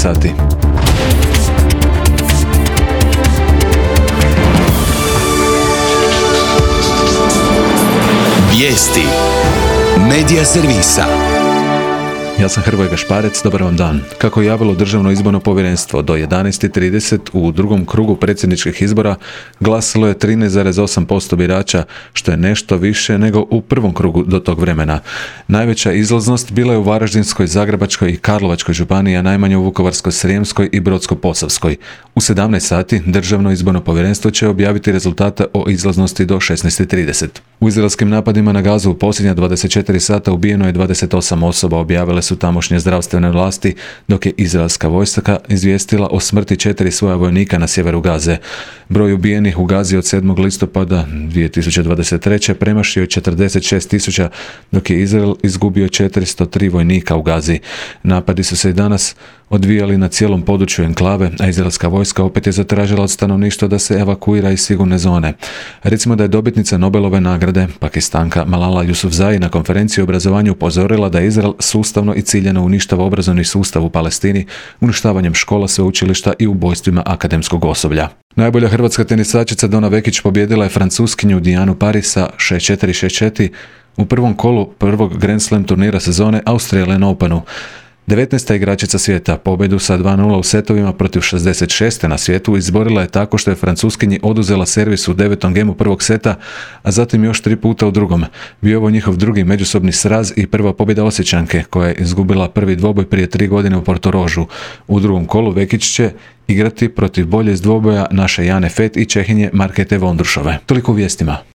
sati. Vijesti Medija servisa. Ja sam Hrvoje Gašparec, dobar vam dan. Kako je javilo Državno izborno povjerenstvo, do 11:30 u drugom krugu predsjedničkih izbora glasalo je 13,8% birača, što je nešto više nego u prvom krugu do tog vremena. Najveća izlaznost bila je u Varaždinskoj, Zagrebačkoj i Karlovačkoj županiji, a najmanje u Vukovarsko-srijemskoj i Brodsko-posavskoj. U 17 sati Državno izborno povjerenstvo će objaviti rezultate o izlaznosti do 16:30. U izraelskim napadima na Gazu u posljednja 24 sata ubijeno je 28 osoba, objavile su tamošnje zdravstvene vlasti, dok je izraelska vojska izvijestila o smrti 4 svoja vojnika na sjeveru Gaze. Broj ubijenih u Gazi od 7. listopada 2023. premašio je 46.000, dok je Izrael izgubio 403 vojnika u Gazi. Napadi su se i danas odvijali na cijelom području enklave, a izraelska vojska opet je zatražila od stanovništva da se evakuira iz sigurne zone. Recimo da je dobitnica Nobelove nagrade, Pakistanka Malala Yousafzai, na konferenciji o obrazovanju upozorila da Izrael sustavno i ciljano uništava obrazovni sustav u Palestini, uništavanjem škola, sveučilišta i ubojstvima akademskog osoblja. Najbolja hrvatska tenisačica Dona Vekić pobijedila je Francuskinju Dianu Paris sa 6-4, 6-4 u prvom kolu prvog Grand Slam turnira sezone Australian Openu. 19. igračica svijeta pobjedu sa 2-0 u setovima protiv 66. na svijetu izborila je tako što je Francuskinji oduzela servis u 9. gemu prvog seta, a zatim još 3 puta u drugom. Bio ovo njihov drugi međusobni sraz i prva pobjeda Osječanke, koja je izgubila prvi dvoboj prije 3 godine u Portorožu. U drugom kolu Vekić će igrati protiv bolje iz dvoboja naše Jane Fett i Čehinje Markete Vondrušove. Toliko u vijestima.